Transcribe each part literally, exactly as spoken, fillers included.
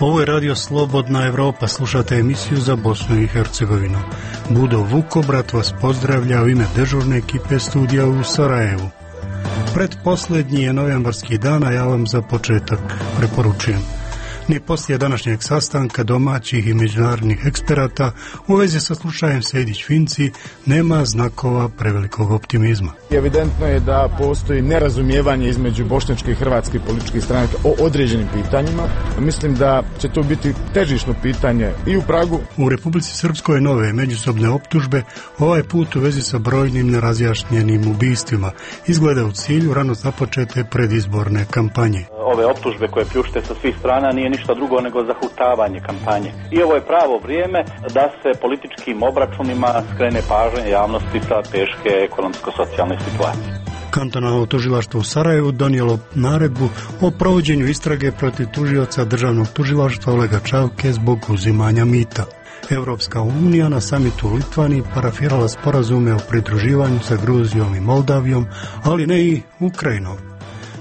Ovo je Radio Slobodna Evropa, slušate emisiju za Bosnu i Hercegovinu. Budo Vukobrat vas pozdravlja u ime dežurne ekipe studija u Sarajevu. Predposlednji je novembarski dan, a ja vam za početak preporučujem. Ni poslije današnjeg sastanka domaćih i međunarodnih eksperata u vezi sa slučajem Sejdić-Finci nema znakova prevelikog optimizma. Evidentno je da postoji nerazumijevanje između bošnjačke i hrvatske političkih stranaka o određenim pitanjima. Mislim da će to biti težišno pitanje i u Pragu. U Republici Srpskoj nove međusobne optužbe, ovaj put u vezi sa brojnim nerazjašnjenim ubistvima, izgleda u cilju rano započete predizborne kampanje. Ove optužbe koje pljušte sa svih strana nije ništa drugo nego zahutavanje kampanje. I ovo je pravo vrijeme da se političkim obračunima skrene pažnja javnosti sa teške ekonomsko-socijalne situacije. Kantonalno tužilaštvo u Sarajevu donijelo naredbu o provođenju istrage protiv tužioca državnog tužilaštva Olega Čavke zbog uzimanja mita. Evropska unija na samitu u Litvaniji parafirala sporazume o pridruživanju sa Gruzijom i Moldavijom, ali ne i Ukrajinom.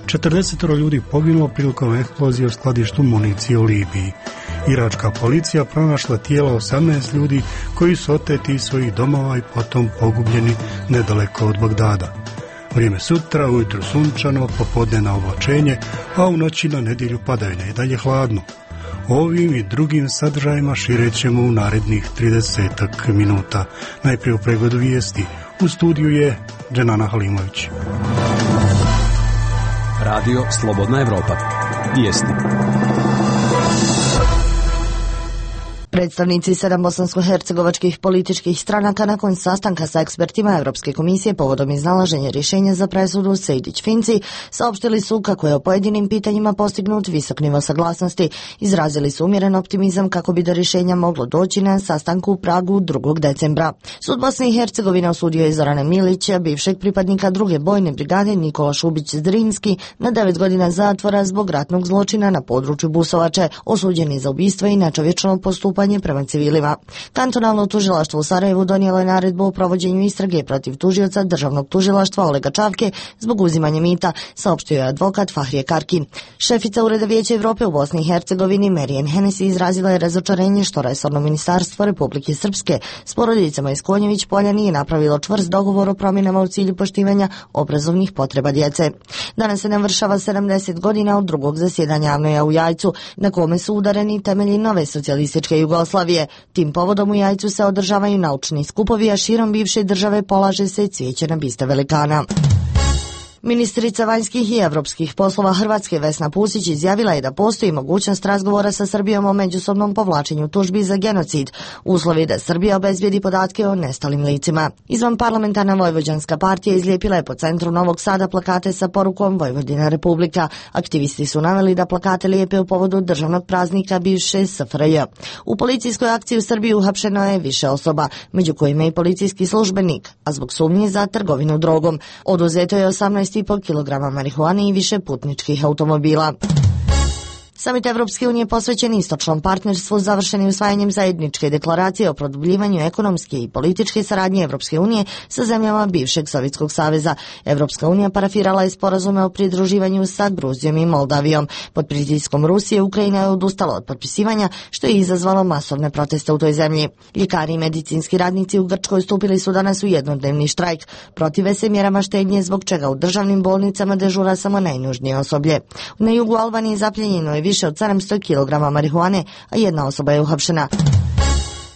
četrdeset ljudi poginulo prilikom eksplozije u skladištu municije u Libiji. Iračka policija pronašla tijela osamnaest ljudi koji su oteti iz svojih domova i potom pogubljeni nedaleko od Bagdada. Vrijeme sutra, ujutro sunčano, popodne na oblačenje, a u noći na nedjelju padavine i dalje hladno. Ovim i drugim sadržajima širećemo u narednih tridesetak minuta. Najprije u pregledu vijesti. U studiju je Dženana Halimović. Radio Slobodna Evropa. Vijesti. Predstavnici sedam bosansko-hercegovačkih političkih stranaka nakon sastanka sa ekspertima Evropske komisije povodom iznalaženja rješenja za presudu Sejdić-Finci saopštili su kako je o pojedinim pitanjima postignut visok nivo saglasnosti. Izrazili su umjeren optimizam kako bi do rješenja moglo doći na sastanku u Pragu drugog decembra. Sud Bosne i Hercegovine osudio je Zorana Milića, bivšeg pripadnika druge bojne brigade Nikola Šubić-Zrinski, na devet godina zatvora zbog ratnog zločina na području Busovače, osuđeni za ubistvo i nečovječno postupanje prema civilima. Kantonalno tužilaštvo u Sarajevu donijelo je naredbu o provođenju istrage protiv tužioca državnog tužilaštva Olega Čavke zbog uzimanja mita, saopštio je advokat Fahrije Karki. Šefica Ureda Vijeća Evrope u Bosni i Hercegovini Marijan Hennessy izrazila je razočarenje što resorno ministarstvo Republike Srpske s porodicama iz Konjević Polja nije napravilo čvrst dogovor o promjenama u cilju poštivanja obrazovnih potreba djece. Danas se navršava sedamdeset godina od drugog zasjedanja AVNOJ-a u Jajcu, na kome su udareni temelji nove socijalističke Jugoslavije. Tim povodom u Jajcu se održavaju naučni skupovi, a širom bivše države polaže se cvijeće na biste velikana. Ministrica vanjskih i evropskih poslova Hrvatske Vesna Pusić izjavila je da postoji mogućnost razgovora sa Srbijom o međusobnom povlačenju tužbi za genocid, uslovi da Srbija obezbijedi podatke o nestalim licima. Izvan parlamentarna Vojvođanska partija izlijepila je po centru Novog Sada plakate sa porukom Vojvodina Republika. Aktivisti su naveli da plakate lijepe u povodu državnog praznika bivše S F R J. U policijskoj akciji u Srbiji uhapšeno je više osoba, među kojima i policijski službenik, a zbog sumnje za trgovinu drogom. Oduzeto je osamnaest i po kilograma marihuane i više putničkih automobila. Samit Evropske unije posvećen istočnom partnerstvu završen je usvajanjem zajedničke deklaracije o produbljivanju ekonomske i političke saradnje Evropske unije sa zemljama bivšeg Sovjetskog saveza. Evropska unija parafirala je sporazume o pridruživanju sa Gruzijom i Moldavijom. Pod pritiskom Rusije Ukrajina je odustala od potpisivanja, što je izazvalo masovne proteste u toj zemlji. Ljekari i medicinski radnici u Grčkoj stupili su danas u jednodnevni štrajk. Protive se mjerama štednje, zbog čega u državnim bolnicama dežura samo najnužnije osoblje. Na jugu Albanije zapljenjeno je više od sedamsto kilograma marihuane, a jedna osoba je uhapšena.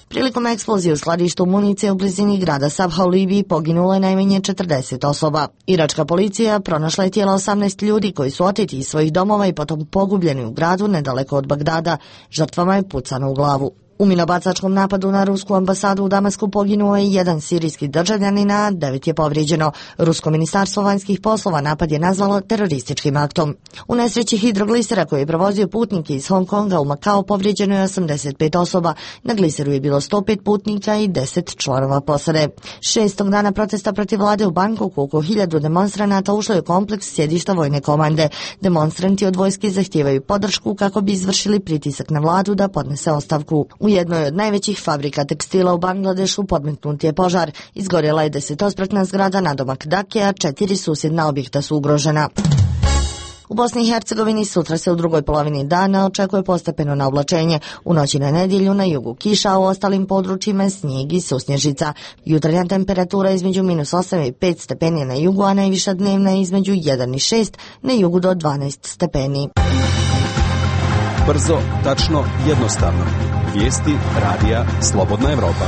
Prilikom eksplozije u skladištu municije u blizini grada Sabha u Libiji poginulo je najmanje četrdeset osoba. Iračka policija pronašla je tijela osamnaest ljudi koji su oteti iz svojih domova i potom pogubljeni u gradu nedaleko od Bagdada. Žrtvama je pucano u glavu. U minobacačkom napadu na rusku ambasadu u Damasku poginuo je jedan sirijski državljanin, a devet je povrijeđeno. Rusko ministarstvo vanjskih poslova napad je nazvalo terorističkim aktom. U nesreći hidroglisera koji je provozio putnike iz Hong Konga u Makao povrijeđeno je osamdeset pet osoba. Na gliseru je bilo sto pet putnika i deset članova posade. Šestog dana protesta protiv vlade u Bangkoku oko hiljadu demonstranata ušlo je u kompleks sjedišta vojne komande. Demonstranti od vojske zahtijevaju podršku kako bi izvršili pritisak na vladu da podnese ostavku. U jednoj od najvećih fabrika tekstila u Bangladešu podmetnut je požar. Izgorjela je desetospratna zgrada nadomak Dake, a četiri susjedna objekta su ugrožena. U Bosni i Hercegovini sutra se u drugoj polovini dana očekuje postepeno naoblačenje. U noći na nedjelju na jugu kiša, a u ostalim područjima snijeg i susnježica. Jutarnja temperatura između minus osam i pet stepeni na jugu, a najviša dnevna je između jedan i šest, na jugu do dvanaest stepeni. Brzo, tačno, jednostavno. Vijesti radija Slobodna Evropa.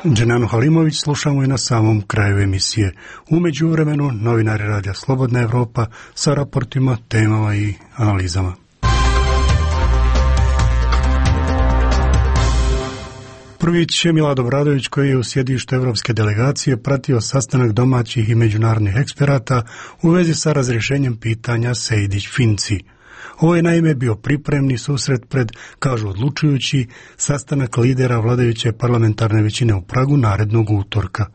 Dženanu Halimović slušamo i na samom kraju emisije. U međuvremenu novinari radija Slobodna Evropa sa raportima, temama i analizama. Prvić je Milad Obradović, koji je u sjedištu Evropske delegacije pratio sastanak domaćih i međunarodnih eksperata u vezi sa razrješenjem pitanja Sejdić-Finci. Ovo je naime bio pripremni susret pred, kažu odlučujući, sastanak lidera vladajuće parlamentarne većine u Pragu narednog utorka.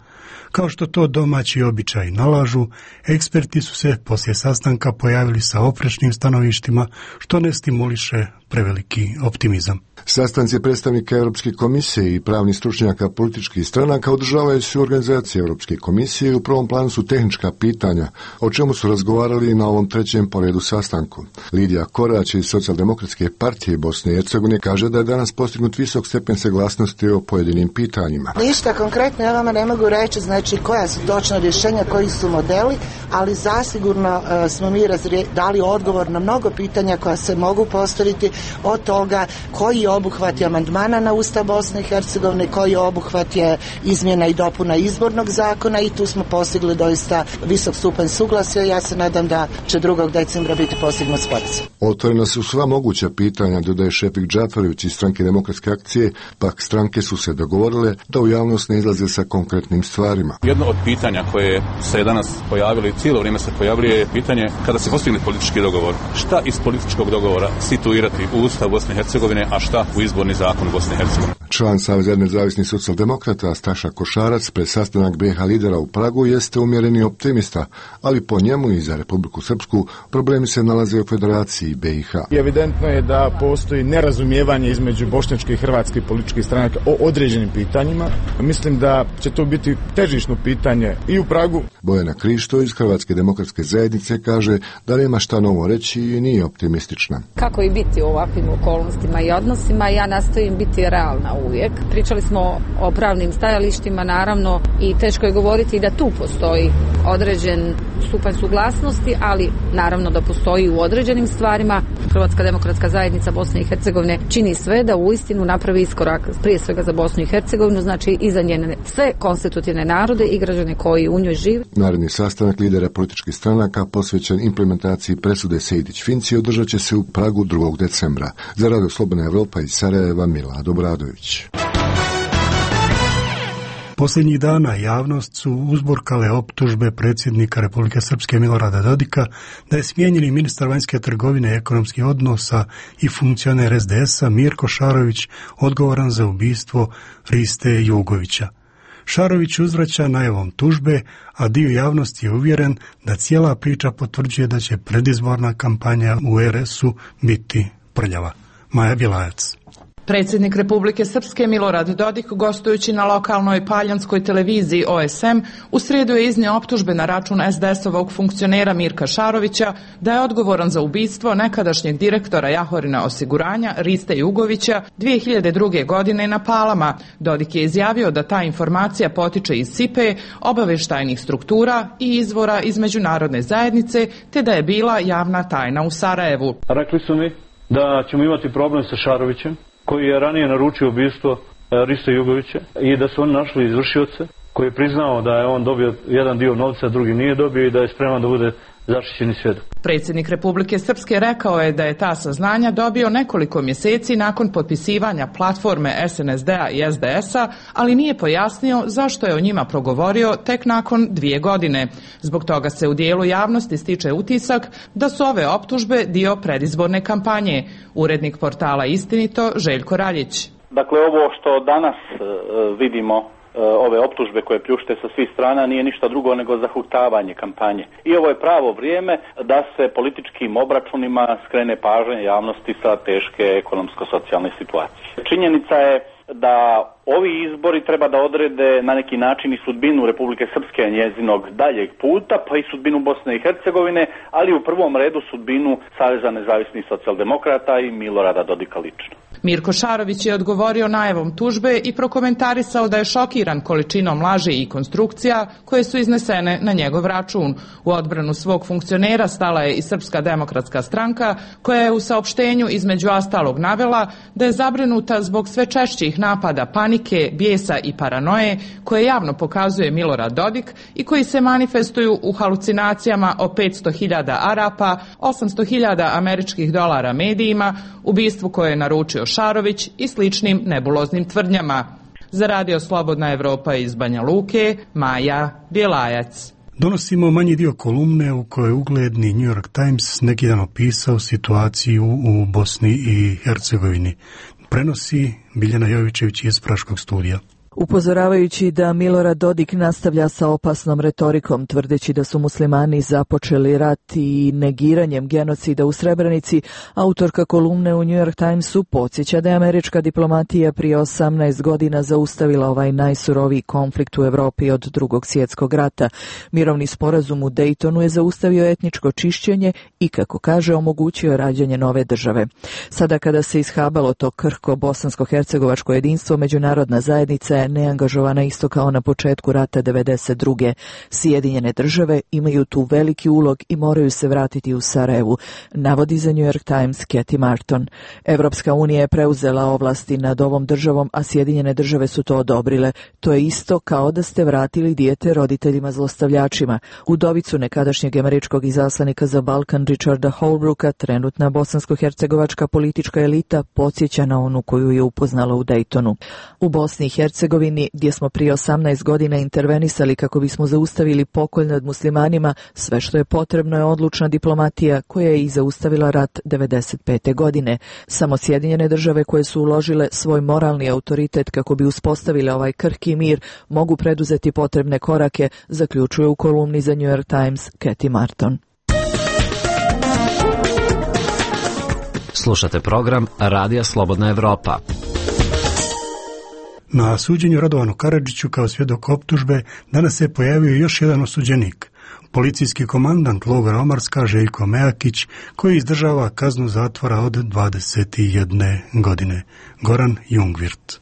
Kao što to domaći običaji nalažu, eksperti su se poslije sastanka pojavili sa oprečnim stanovištima, što ne stimuliše preveliki optimizam. Sastanci predstavnika Europske komisije i pravnih stručnjaka političkih stranaka održavaju se u organizaciji Europske komisije i u prvom planu su tehnička pitanja, o čemu su razgovarali na ovom trećem po redu sastanku. Lidija Korać iz Socijaldemokratske partije Bosne i Hercegovine kaže da je danas postignut visok stepen saglasnosti o pojedinim pitanjima. Ništa konkretno ja vama ne mogu reći, znači koja su točna rješenja, koji su modeli, ali zasigurno uh, smo mi razrije, dali odgovor na mnogo pitanja koja se mogu postaviti, od toga koji je obuhvat je amandmana na Ustav Bosne i Hercegovine, koji je obuhvat je izmjena i dopuna izbornog zakona, i tu smo postigli doista visok stupanj suglasja. Ja se nadam da će drugog decembra biti postignut sporazum. Otvorena su sva moguća pitanja, dodaje Šefik Džaferović iz Stranke demokratske akcije, pak stranke su se dogovorile da u javnost ne izlaze sa konkretnim stvarima. Jedno od pitanja koje se danas pojavilo i cijelo vrijeme se pojavljuje je pitanje kada se postigne politički dogovor. Šta iz političkog dogovora situirati u Ustav Bosne i Hercegovine, a šta u izborni zakon Bosne i Hercegovine? Član Saveza nezavisnih socijaldemokrata Staša Košarac pred sastanak B iH lidera u Pragu jeste umjereni optimista, ali po njemu i za Republiku Srpsku problemi se nalaze u Federaciji B iH. Evidentno je da postoji nerazumijevanje između bošnjačkih i hrvatskih političkih stranaka o određenim pitanjima. Mislim da će to biti težišno pitanje i u Pragu. Bojana Krišto iz Hrvatske demokratske zajednice kaže da nema šta novo reći i nije optimistična. Kako i biti u ovakvim okolnostima i odnosima, ja nastojim biti realna uvijek. Pričali smo o pravnim stajalištima, naravno, i teško je govoriti da tu postoji određen stupanj suglasnosti, ali naravno da postoji u određenim stvarima. Hrvatska demokratska zajednica Bosne i Hercegovine čini sve da uistinu napravi iskorak prije svega za Bosnu i Hercegovinu, znači i za njene sve konstitutivne narode i građane koji u njoj žive. Naredni sastanak lidera političkih stranaka posvećen implementaciji presude Sejdić-Finci održat će se u Pragu drugog decembra. Za Radio Slobodna Evropa iz Sarajeva, Milad Obradović. Posljednjih dana javnost su uzburkale optužbe predsjednika Republike Srpske Milorada Dodika da je smijenjeni ministar vanjske trgovine i ekonomskih odnosa i funkcioner es de es a Mirko Šarović odgovoran za ubistvo Riste Jugovića. Šarović uzvraća najavom tužbe, a dio javnosti je uvjeren da cijela priča potvrđuje da će predizborna kampanja u er es u biti prljava. Maja Bjelajac. Predsjednik Republike Srpske Milorad Dodik, gostujući na lokalnoj paljanskoj televiziji O S M, u srijedu je iznio optužbe na račun es de es-ovog funkcionera Mirka Šarovića da je odgovoran za ubistvo nekadašnjeg direktora Jahorina osiguranja Riste Jugovića dvije hiljade druge. godine na Palama. Dodik je izjavio da ta informacija potiče iz S I P E, obavještajnih struktura i izvora iz međunarodne zajednice, te da je bila javna tajna u Sarajevu. Rekli su mi da ćemo imati problem sa Šarovićem, koji je ranije naručio ubistvo Riste Jugovića, i da su oni našli izvršioce, koji je priznao da je on dobio jedan dio novca, drugi nije dobio, i da je spreman da bude zaštićeni svjedok. Predsjednik Republike Srpske rekao je da je ta saznanja dobio nekoliko mjeseci nakon potpisivanja platforme es en es de a i es de es a, ali nije pojasnio zašto je o njima progovorio tek nakon dvije godine. Zbog toga se u dijelu javnosti stiče utisak da su ove optužbe dio predizborne kampanje. Urednik portala Istinito Željko Raljić. Dakle, ovo što danas uh, vidimo, ove optužbe koje pljušte sa svih strana, nije ništa drugo nego zahutavanje kampanje. I ovo je pravo vrijeme da se političkim obračunima skrene pažnja javnosti sa teške ekonomsko-socijalne situacije. Činjenica je da Ovi izbori treba da odrede na neki način i sudbinu Republike Srpske, njezinog daljeg puta, pa i sudbinu Bosne i Hercegovine, ali u prvom redu sudbinu Saveza nezavisnih socijaldemokrata i Milorada Dodika lično. Mirko Šarović je odgovorio najavom tužbe i prokomentarisao da je šokiran količinom laži i konstrukcija koje su iznesene na njegov račun. U odbranu svog funkcionera stala je i Srpska demokratska stranka, koja je u saopštenju između ostalog navela da je zabrinuta zbog sve češćih napada panike, bijesa i paranoje koje javno pokazuje Milorad Dodik i koji se manifestuju u halucinacijama o petsto hiljada Arapa, osamsto hiljada američkih dolara medijima, ubistvu koje je naručio Šarović i sličnim nebuloznim tvrdnjama. Za Radio Slobodna Evropa iz Banja Luke, Maja Bjelajac. Donosimo manji dio kolumne u kojoj ugledni New York Times neki dan opisao situaciju u Bosni i Hercegovini. Prenosi Biljana Jovićević iz Praškog studija. Upozoravajući da Milorad Dodik nastavlja sa opasnom retorikom, tvrdeći da su muslimani započeli rat i negiranjem genocida u Srebrenici, autorka kolumne u New York Timesu podsjeća da je američka diplomatija prije osamnaest godina zaustavila ovaj najsuroviji konflikt u Evropi od Drugog svjetskog rata. Mirovni sporazum u Daytonu je zaustavio etničko čišćenje i, kako kaže, omogućio rađanje nove države. Sada kada se ishabalo to krhko bosansko-hercegovačko jedinstvo, međunarodna zajednica je neangažovana isto kao na početku rata devedeset druge. Sjedinjene države imaju tu veliki ulog i moraju se vratiti u Sarajevu, navodi za New York Times Cathy Marton. Evropska unija je preuzela ovlasti nad ovom državom, a Sjedinjene države su to odobrile. To je isto kao da ste vratili dijete roditeljima zlostavljačima. Udovicu nekadašnjeg američkog izaslanika za Balkan Richarda Holbrooka trenutna bosansko-hercegovačka politička elita podsjeća na onu koju je upoznala u Daytonu. U Bosni i Hercegovini, gdje smo prije osamnaest godina intervenisali kako bismo zaustavili pokolj nad muslimanima, sve što je potrebno je odlučna diplomatija koja je i zaustavila rat devedeset pete godine. Samo Sjedinjene države koje su uložile svoj moralni autoritet kako bi uspostavile ovaj krhki mir mogu preduzeti potrebne korake, zaključuje u kolumni za New York Times Cathy Marton. Slušate program Radija Slobodna Evropa. Na suđenju Radovanu Karadžiću kao svjedok optužbe danas se pojavio još jedan osuđenik, policijski komandant logora Omarska Željko Mejakić, koji izdržava kaznu zatvora od dvadeset jedne godine. Goran Jungvirt.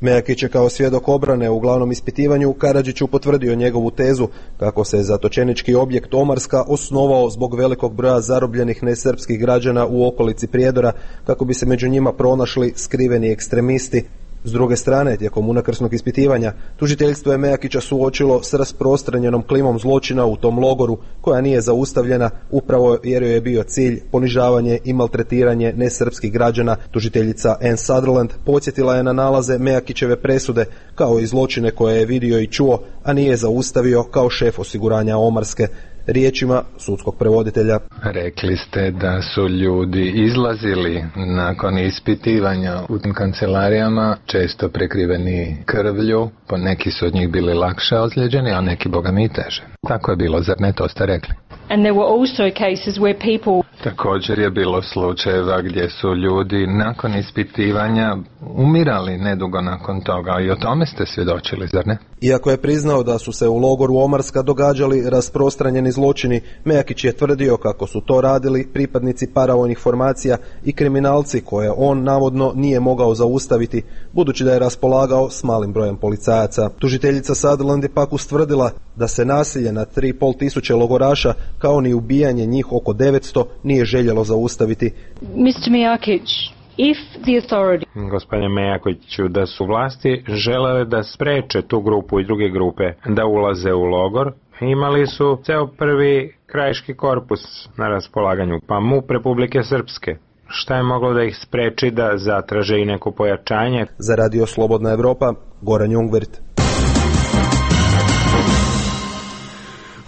Mejakić je kao svjedok obrane u glavnom ispitivanju Karadžiću potvrdio njegovu tezu kako se zatočenički objekt Omarska osnovao zbog velikog broja zarobljenih nesrpskih građana u okolici Prijedora, kako bi se među njima pronašli skriveni ekstremisti. S druge strane, tijekom unakrsnog ispitivanja, tužiteljstvo je Mejakića suočilo s rasprostranjenom klimom zločina u tom logoru, koja nije zaustavljena, upravo jer joj je bio cilj ponižavanje i maltretiranje nesrpskih građana. Tužiteljica Ann Sutherland podsjetila je na nalaze Mejakićeve presude, kao i zločine koje je vidio i čuo, a nije zaustavio kao šef osiguranja Omarske. Riječima sudskog prevoditelja. Rekli ste da su ljudi izlazili nakon ispitivanja u tim kancelarijama, često prekriveni krvlju, po neki su od njih bili lakše ozlijeđeni, a neki boga mi teže. Tako je bilo, zar ne, to ste rekli? And there were also cases where people... Također je bilo slučajeva gdje su ljudi nakon ispitivanja umirali nedugo nakon toga, i o tome ste svjedočili, zar ne? Iako je priznao da su se u logoru Omarska događali rasprostranjeni zločini, Mejakić je tvrdio kako su to radili pripadnici paravojnih formacija i kriminalci koje on navodno nije mogao zaustaviti, budući da je raspolagao s malim brojem policajaca. Tužiteljica Sutherland je pak ustvrdila da se nasilje nad tri i pol tisuće logoraša, kao ni ubijanje njih oko devetsto, nije željelo zaustaviti. mister Mejakić, if the authority... Gospodine Mejakiću, da su vlasti želele da spreče tu grupu i druge grupe da ulaze u logor, imali su ceo prvi krajiški korpus na raspolaganju, pa MUP Republike Srpske. Šta je moglo da ih spreči da zatraže i neko pojačanje? Za Radio Slobodna Evropa, Goran Jungvirt.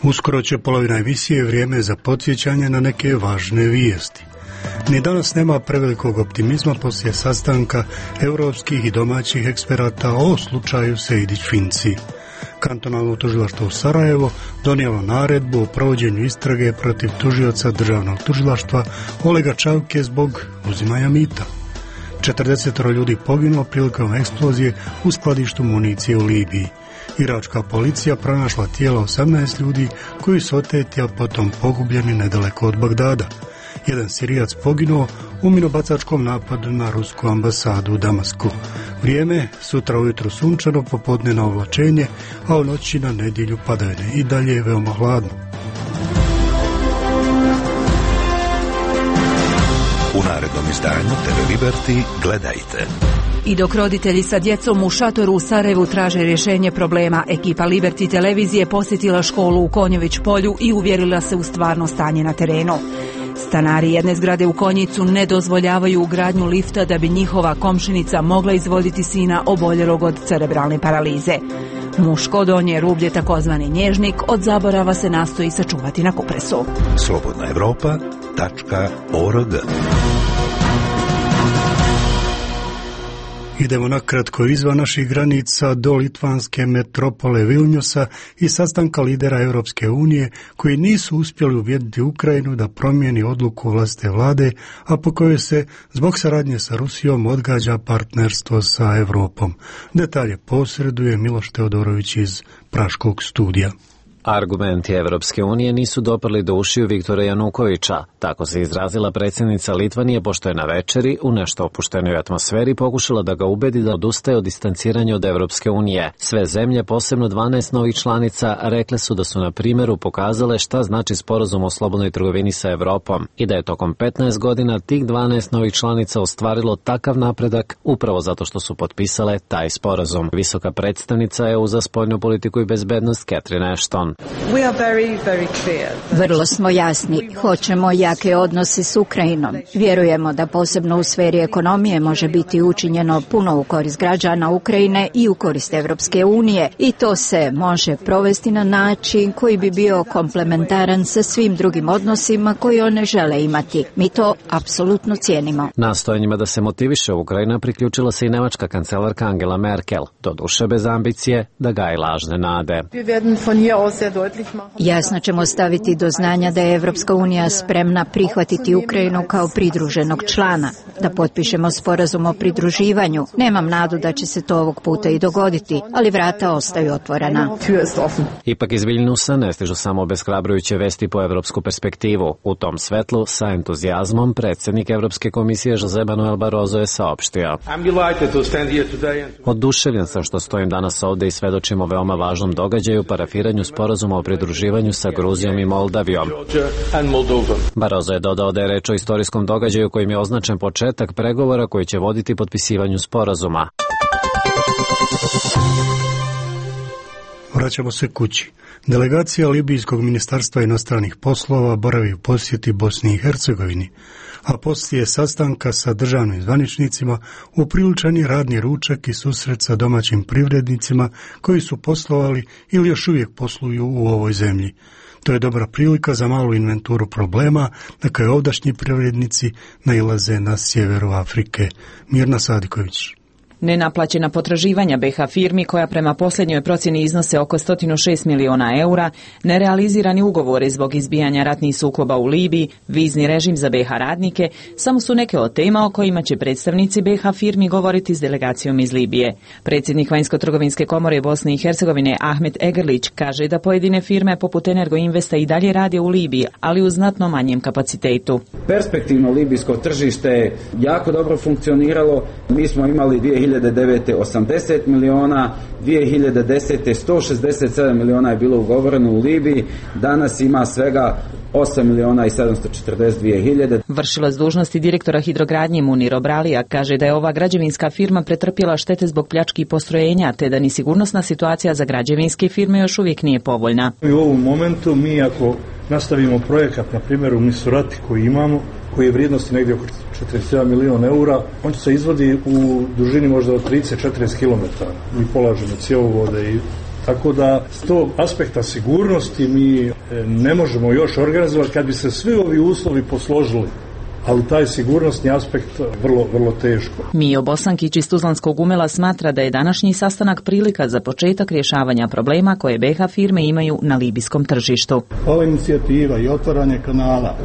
Uskoro će polovina emisije vrijeme za podsjećanje na neke važne vijesti. Ni danas nema prevelikog optimizma poslije sastanka europskih i domaćih eksperata o slučaju Sejdić-Finci. Kantonalno tužilaštvo u Sarajevo donijelo naredbu o provođenju istrage protiv tužioca državnog tužilaštva Olega Čavke zbog uzimanja mita. četrdeset ljudi poginulo prilikom eksplozije u skladištu municije u Libiji. Iračka policija pronašla tijela osamnaest ljudi koji su oteti, a potom pogubljeni nedaleko od Bagdada. Jedan Sirijac poginuo u minobacačkom napadu na rusku ambasadu u Damasku. Vrijeme sutra ujutro sunčano, popodne na oblačenje, a u noći na nedjelju padavine. I dalje je veoma hladno. U narednom izdanju te ve Liberty gledajte. I dok roditelji sa djecom u šatoru u Sarajevu traže rješenje problema, ekipa Liberty televizije posjetila školu u Konjović polju i uvjerila se u stvarno stanje na terenu. Stanari jedne zgrade u Konjicu ne dozvoljavaju ugradnju lifta da bi njihova komšinica mogla izvoditi sina oboljelog od cerebralne paralize. Muško donje rublje, takozvani nježnik, od zaborava se nastoji sačuvati na kupresu. slobodna evropa tačka org. Idemo nakratko izvan naših granica do litvanske metropole Vilnjusa i sastanka lidera Europske unije koji nisu uspjeli uvjeriti Ukrajinu da promijeni odluku vlastite vlade, a po kojoj se zbog saradnje sa Rusijom odgađa partnerstvo sa Europom. Detalje posreduje Miloš Teodorović iz Praškog studija. Argumenti Evropske unije nisu doprli do ušiju Viktora Janukovića. Tako se izrazila predsjednica Litvanije pošto je na večeri u nešto opuštenoj atmosferi pokušala da ga ubedi da odustaje od distanciranja od Evropske unije. Sve zemlje, posebno dvanaest novih članica, rekle su da su na primjeru pokazale šta znači sporazum o slobodnoj trgovini sa Evropom i da je tokom petnaest godina tih dvanaest novih članica ostvarilo takav napredak upravo zato što su potpisale taj sporazum. Visoka predstavnica E U za spoljnu politiku i bezbednost Catherine Ashton. Vrlo smo jasni. Hoćemo jake odnose s Ukrajinom. Vjerujemo da posebno u sferi ekonomije može biti učinjeno puno u korist građana Ukrajine i u korist Evropske unije. I to se može provesti na način koji bi bio komplementaran sa svim drugim odnosima koji one žele imati. Mi to apsolutno cijenimo. Nastojanjima da se motiviše Ukrajina priključila se i nemačka kancelarka Angela Merkel, doduše bez ambicije da gaji lažne nade. Jasno ćemo staviti do znanja da je Evropska unija spremna prihvatiti Ukrajinu kao pridruženog člana, da potpišemo sporazum o pridruživanju. Nemam nadu da će se to ovog puta i dogoditi, ali vrata ostaju otvorena. Ipak iz Viljnusa ne stižu samo obeshrabrujuće vesti po evropsku perspektivu. U tom svetlu, sa entuzijazmom, predsjednik Evropske komisije Jose Manuel Barroso je saopštio: Oduševljen sam što stojim danas ovdje i svedočimo veoma važnom događaju, parafiranju sporazuma o pridruživanju sa Gruzijom i Moldavijom. Barroso je dodao da je reč o istorijskom događaju kojim je označen početak pregovora koji će voditi potpisivanju sporazuma. Vraćamo se kući. Delegacija Libijskog ministarstva inostranih poslova boravi u posjeti Bosni i Hercegovini, a poslije sastanka sa državnim zvaničnicima upriličen je radni ručak i susret sa domaćim privrednicima koji su poslovali ili još uvijek posluju u ovoj zemlji. To je dobra prilika za malu inventuru problema na koje ovdašnji privrednici nailaze na sjeveru Afrike. Mirna Sadiković. Nenaplaćena potraživanja be ha firmi, koja prema posljednjoj procjeni iznose oko sto šest miliona eura, nerealizirani ugovori zbog izbijanja ratnih sukoba u Libiji, vizni režim za be ha radnike, samo su neke od tema o kojima će predstavnici be ha firmi govoriti s delegacijom iz Libije. Predsjednik Vanjsko-trgovinske komore Bosne i Hercegovine Ahmet Egerlić kaže da pojedine firme poput Energoinvesta i dalje rade u Libiji, ali u znatno manjem kapacitetu. Perspektivno libijsko tržište je jako dobro funkcioniralo. Mi smo imali dvije hiljade devete. osamdeset miliona, dvije hiljade desete. sto šezdeset sedam miliona je bilo ugovoreno u Libiji, danas ima svega osam miliona i sedamsto četrdeset dvije hiljade. Vršilac dužnosti direktora hidrogradnje Munir Obralija kaže da je ova građevinska firma pretrpjela štete zbog pljački postrojenja, te da ni sigurnosna situacija za građevinske firme još uvijek nije povoljna. U ovom momentu mi ako nastavimo projekat, na primjer u Misurati koji imamo, koji je vrijednosti negdje oko četrdeset jedan miliona eura, on se izvodi u dužini možda od trideset do četrdeset kilometara. Mi polažemo cjevovode i tako da s tog aspekta sigurnosti mi ne možemo još organizovati kad bi se svi ovi uslovi posložili. Ali taj sigurnosni aspekt vrlo, vrlo teško. Mijo Bosankić iz Tuzlanskog Umela smatra da je današnji sastanak prilika za početak rješavanja problema koje be ha firme imaju na libijskom tržištu. Ova inicijativa i otvaranje kanala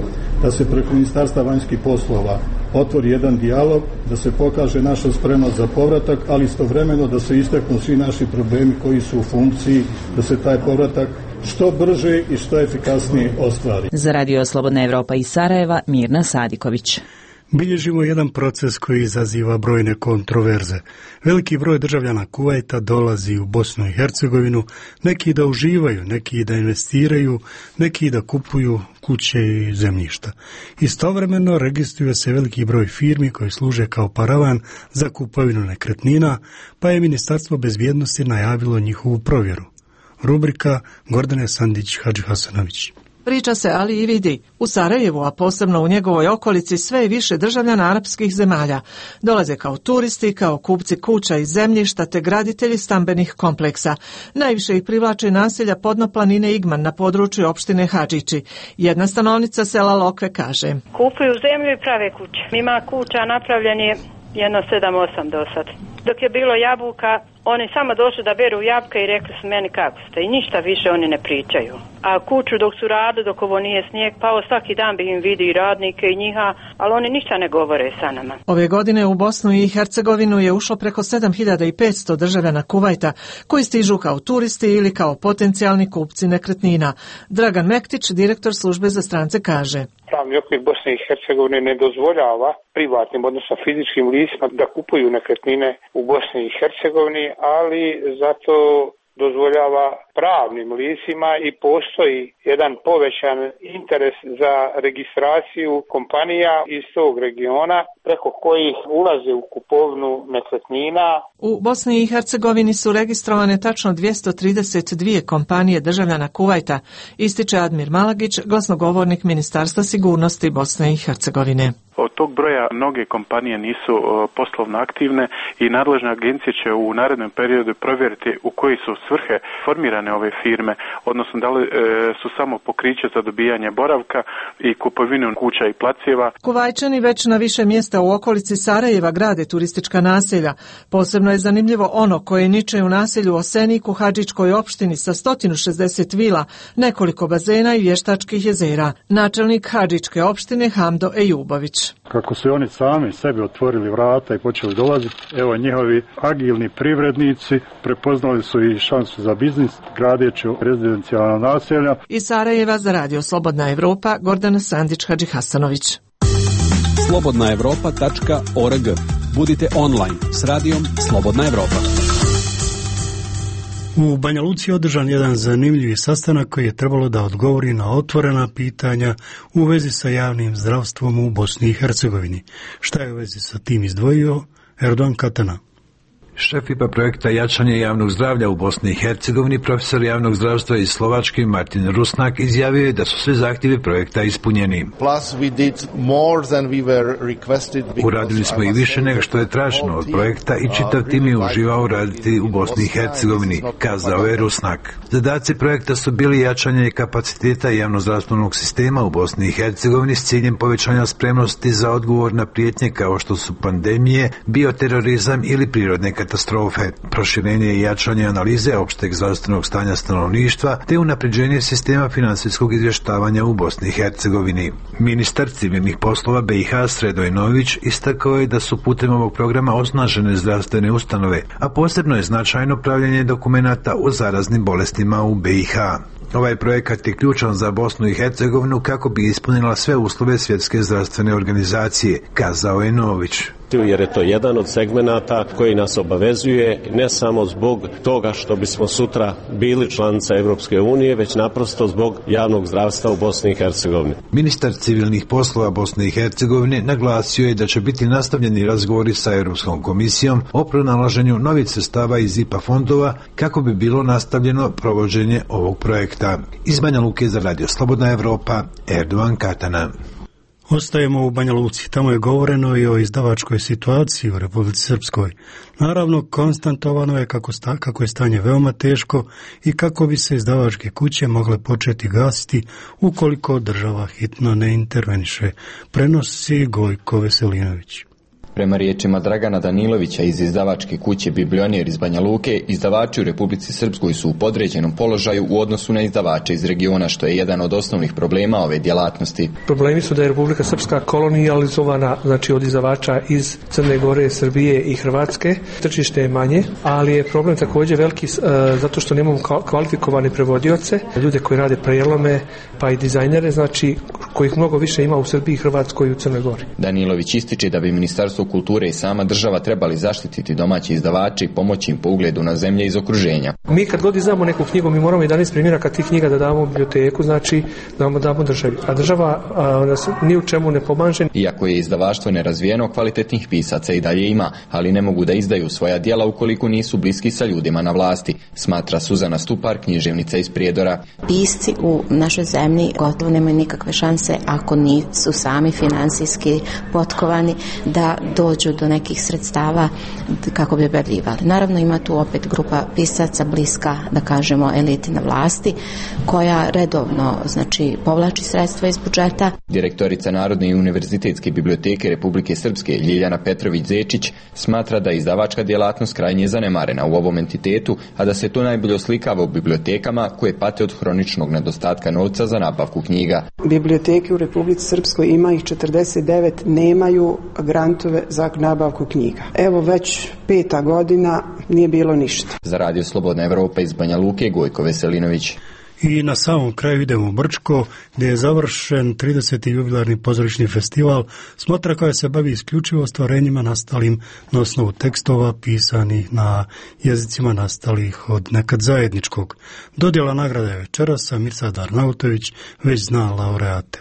da se preko Ministarstva vanjskih poslova otvori jedan dijalog, da se pokaže naša spremnost za povratak, ali istovremeno da se istaknu svi naši problemi koji su u funkciji, da se taj povratak što brže i što efikasnije ostvari. Za Radio Slobodna Evropa iz Sarajeva, Mirna Sadiković. Bilježimo jedan proces koji izaziva brojne kontroverze. Veliki broj državljana Kuvajta dolazi u Bosnu i Hercegovinu, neki da uživaju, neki da investiraju, neki da kupuju kuće i zemljišta. Istovremeno registruje se veliki broj firmi koji služe kao paravan za kupovinu nekretnina, pa je Ministarstvo bezbjednosti najavilo njihovu provjeru. Rubrika Gordane Sandić-Hadžihasanović. Priča se, ali i vidi. U Sarajevu, a posebno u njegovoj okolici, sve i više državljana arapskih zemalja dolaze kao turisti, kao kupci kuća i zemljišta te graditelji stambenih kompleksa. Najviše ih privlače naselja podno planine Igman na području opštine Hadžići. Jedna stanovnica sela Lokve kaže: kupuju zemlju i prave kuće. Ima kuća napravljen je jedno sedam osam do sad. Dok je bilo jabuka, oni samo došli da beru jabke i rekli su meni kako ste i ništa više oni ne pričaju. A kuću dok su radili, dok ovo nije snijeg pao, svaki dan bi im vidi i radnike i njiha, ali oni ništa ne govore sa nama. Ove godine u Bosnu i Hercegovinu je ušlo preko sedam hiljada petsto državljana Kuvajta koji stižu kao turisti ili kao potencijalni kupci nekretnina. Dragan Mektić, direktor službe za strance, kaže: pravni okvir Bosne i Hercegovine ne dozvoljava privatnim, odnosno fizičkim licima da kupuju nekretnine u Bosni i Hercegovini, ali zato dozvoljava pravnim licima i postoji jedan povećan interes za registraciju kompanija iz tog regiona preko kojih ulaze u kupovnu nekretnina. U Bosni i Hercegovini su registrovane tačno dvjesto trideset dvije kompanije državljana Kuvajta, ističe Admir Malagić, glasnogovornik Ministarstva sigurnosti Bosne i Hercegovine. Od tog broja mnoge kompanije nisu poslovno aktivne i nadležne agencije će u narednom periodu provjeriti u koji su svrhe formirane ove firme, odnosno da li e, su samo pokriće za dobijanje boravka i kupovinu kuća i placeva. Kuvajčani već na više mjesta u okolici Sarajeva grade turistička naselja. Posebno je zanimljivo ono koje niče u naselju Osenik u Hadžičkoj opštini sa sto šezdeset vila, nekoliko bazena i vještačkih jezera. Načelnik Hadžičke opštine Hamdo Ejubović. Kako su oni sami sebi otvorili vrata i počeli dolaziti, evo njihovi agilni privrednici prepoznali su i šansu za biznis, gradeći rezidencijalna naselja. Iz Sarajeva za Radio Slobodna Evropa, Gordana Sandić-Hadžihasanović. slobodna evropa tačka org. Budite online s radijom Slobodna Evropa. U Banja Luci je održan jedan zanimljivi sastanak koji je trebalo da odgovori na otvorena pitanja u vezi sa javnim zdravstvom u Bosni i Hercegovini. Šta je u vezi sa tim izdvojio Erdogan Katana? Šef I P A projekta Jačanje javnog zdravlja u Bosni i Hercegovini, profesor javnog zdravstva iz Slovačke Martin Rusnak, izjavio je da su svi zahtjevi projekta ispunjeni. Uradili smo i više nego što je traženo od projekta i čitav tim je uživao raditi u Bosni i Hercegovini, kazao je Rusnak. Zadaci projekta su bili jačanje kapaciteta javnozdravstvenog sistema u Bosni i Hercegovini s ciljem povećanja spremnosti za odgovor na prijetnje kao što su pandemije, bioterorizam ili prirodne katastrofe, proširenje i jačanje analize opšteg zdravstvenog stanja stanovništva te unapređenje sistema finansijskog izvještavanja u Bosni i Hercegovini. Ministar civilnih poslova B i H Sredo Inović istakao je da su putem ovog programa osnažene zdravstvene ustanove, a posebno je značajno pravljenje dokumenata o zaraznim bolestima u B i H. Ovaj projekat je ključan za Bosnu i Hercegovinu kako bi ispunila sve uslove Svjetske zdravstvene organizacije, kazao je Nović. Jer je to jedan od segmenata koji nas obavezuje ne samo zbog toga što bismo sutra bili članica Evropske unije, već naprosto zbog javnog zdravstva u Bosni i Hercegovini. Ministar civilnih poslova Bosne i Hercegovine naglasio je da će biti nastavljeni razgovori sa Europskom komisijom o pronalaženju novih sredstava iz I P A fondova kako bi bilo nastavljeno provođenje ovog projekta. Iz Banja Luke za Radio Slobodna Evropa, Erdogan Katana. Ostajemo u Banja Luci. Tamo je govoreno i o izdavačkoj situaciji u Republici Srpskoj. Naravno, konstantovano je kako, sta, kako je stanje veoma teško i kako bi se izdavačke kuće mogle početi gasiti ukoliko država hitno ne interveniše, prenosi Gojko Veselinović. Prema riječima Dragana Danilovića iz izdavačke kuće Biblionir iz Banja Luke, izdavači u Republici Srpskoj su u podređenom položaju u odnosu na izdavače iz regiona, što je jedan od osnovnih problema ove djelatnosti. Problemi su da je Republika Srpska kolonijalizovana, znači od izdavača iz Crne Gore, Srbije i Hrvatske. Tržište je manje, ali je problem također veliki uh, zato što nemamo kvalifikovane prevodioce, ljude koji rade prijelome, pa i dizajnere, znači kojih mnogo više ima u Srbiji, Hrvatskoj i u Crnoj Gori. Danilović ističe da bi Ministarstvo kulture i sama država trebali zaštititi domaći izdavači i pomoći im po ugledu na zemlje iz okruženja. Mi kad god izdamo neku knjigu, mi moramo jedanaest primjeraka tih knjiga da damo u biblioteku, znači da damo državi. A država a, nas ni u čemu ne pomaže. Iako je izdavaštvo nerazvijeno, kvalitetnih pisaca i dalje ima, ali ne mogu da izdaju svoja djela ukoliko nisu bliski sa ljudima na vlasti, smatra Suzana Stupar, književnica iz Prijedora. Pisci u našoj zemlji gotovo nemaju nikakve šanse ako nisu sami finansijski potkovani da dođu do nekih sredstava kako bi objavljivali. Naravno ima tu opet grupa pisaca bliska, da kažemo, eliti na vlasti, koja redovno, znači, povlači sredstva iz budžeta. Direktorica Narodne i univerzitetske biblioteke Republike Srpske Ljiljana Petrović-Zečić smatra da je izdavačka djelatnost krajnje zanemarena u ovom entitetu, a da se to najbolje oslikava u bibliotekama koje pate od hroničnog nedostatka novca za nabavku knjiga. Biblioteke u Republici Srpskoj, ima ih četrdeset devet, nemaju grantove za nabavku knjiga. Evo već peta godina nije bilo ništa. Za Radio Slobodna Evropa iz Banja Luke, Gojko Veselinović. I na samom kraju idemo u Brčko, gdje je završen trideseti jubilarni pozorišni festival, smotra koja se bavi isključivo stvarenjima nastalim na osnovu tekstova pisanih na jezicima nastalih od nekad zajedničkog. Dodjela nagrade je večeras, a Mirsad Arnautović već zna laureate.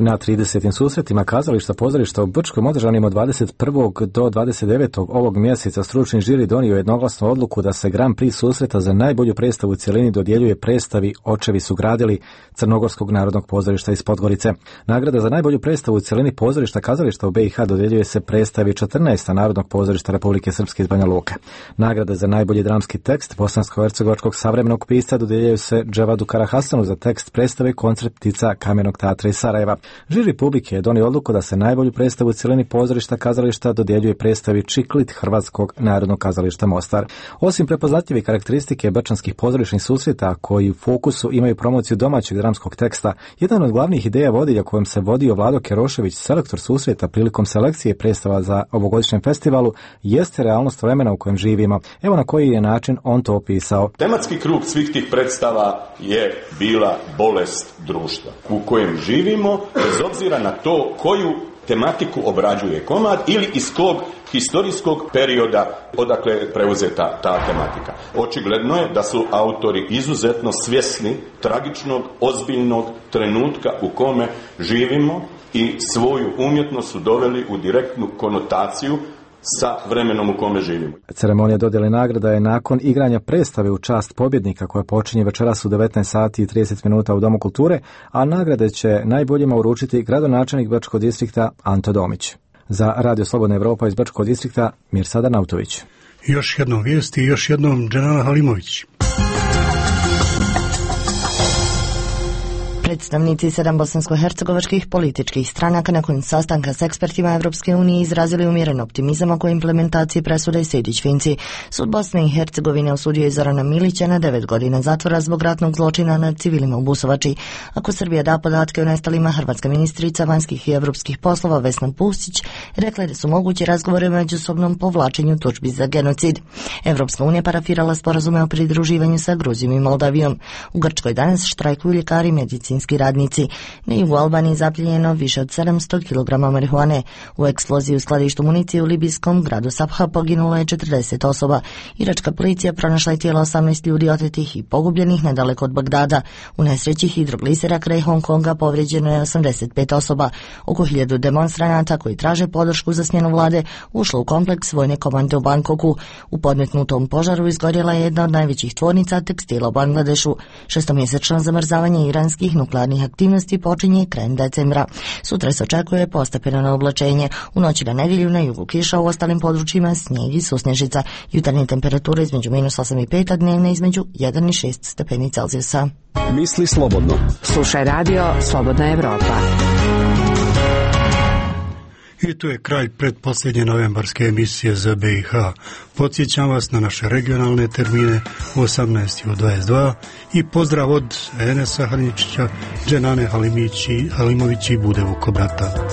Na tridesetim susretima kazališta pozorišta u Brčkom održanim od dvadeset prvog do dvadeset devetog ovog mjeseca stručni žiri donio jednoglasnu odluku da se Grand Prix susreta za najbolju predstavu u cjelini dodjeljuje predstavi Očevi su gradili Crnogorskog narodnog pozorišta iz Podgorice. Nagrada za najbolju predstavu u cjelini pozorišta kazališta u B i H dodjeljuje se predstavi četrnaestog narodnog pozorišta Republike Srpske iz Banja Luke. Nagrada za najbolji dramski tekst bosansko-hercegovačkog savremenog pisca dodjeljuje se Dževadu Karahasanu za tekst predstave Koncert ptica Kamenog teatra iz Sarajeva. Žiri publike je donio odluku da se najbolju predstavu u cjelini pozorišta kazališta dodjeljuje predstavi Čiklit Hrvatskog narodnog kazališta Mostar. Osim prepoznatljive karakteristike brčanskih pozorišnih susreta koji u fokusu imaju promociju domaćeg dramskog teksta, jedan od glavnih ideja vodilja kojom se vodio Vlado Kerošević, selektor susreta prilikom selekcije predstava za ovogodišnjem festivalu, jeste realnost vremena u kojem živimo. Evo na koji je način on to opisao. Tematski krug svih tih predstava je bila bolest društva u kojem živimo, bez obzira na to koju tematiku obrađuje komad ili iz kog historijskog perioda odakle je preuzeta ta tematika. Očigledno je da su autori izuzetno svjesni tragičnog, ozbiljnog trenutka u kome živimo i svoju umjetnost su doveli u direktnu konotaciju sa vremenom u kome živimo. Ceremonija dodjele nagrada je nakon igranja predstave u čast pobjednika koja počinje večeras u devetnaest sati i trideset minuta u Domu kulture, a nagrade će najboljima uručiti gradonačelnik Brčkog distrikta Anto Domić. Za Radio Slobodna Evropa iz Brčkog distrikta Mirsad Arnautović. Još jednom vijesti i još jednom Dženana Halimović. Predstavnici sedam bosansko-hercegovačkih političkih stranaka nakon sastanka s ekspertima Evropske unije izrazili umjeren optimizam oko implementacije presude Sejdić-Finci. Sud Bosne i Hercegovine osudio je Zorana Milića na devet godina zatvora zbog ratnog zločina nad civilima u Busovači. Ako Srbija da podatke o nestalima, hrvatska ministrica vanjskih i evropskih poslova Vesna Pusić rekla je da su mogući razgovori o međusobnom povlačenju tužbi za genocid. Evropska unija parafirala sporazume o pridruživanju sa Gruzijom i Moldavijom. U Grčkoj danas štrajkuju ljekari i medicinski radnici. Na jugu Albanije zapljenjeno više od sedamsto kilograma marihuane. U eksploziji u skladištu municije u libijskom gradu Sabha poginulo je četrdeset osoba. Iračka policija pronašla je tijela osamnaest ljudi otetih i pogubljenih nedaleko od Bagdada. U nesreći hidroglisera kraj Hong Konga povrijeđeno je osamdeset pet osoba. Oko hiljadu demonstranata koji traže podršku za smjenu vlade ušlo u kompleks vojne komande u Bangkoku. U podmetnutom požaru izgorjela je jedna od najvećih tvornica tekstila u Bangladešu. Šestomjesečno zamrzavanje iranskih nuklearnih aktivnosti počinje krajem decembra. Sutra se očekuje postepeno na oblačenje. U noći na nedjelju na jugu kiša, u ostalim područjima snijeg i susnežica. Jutarnje temperature između minus osam i pet, a dnevne između jedan i šest stepeni Celzijusa. Misli slobodno. Slušaj radio Slobodna Evropa. I tu je kraj pretposljednje novembarske emisije za B i H. Podsjećam vas na naše regionalne termine u osamnaest i u dvadeset dva i pozdrav od Enesa Hrničića, Dženane Halimići, Halimovići i Bude Vukobrata.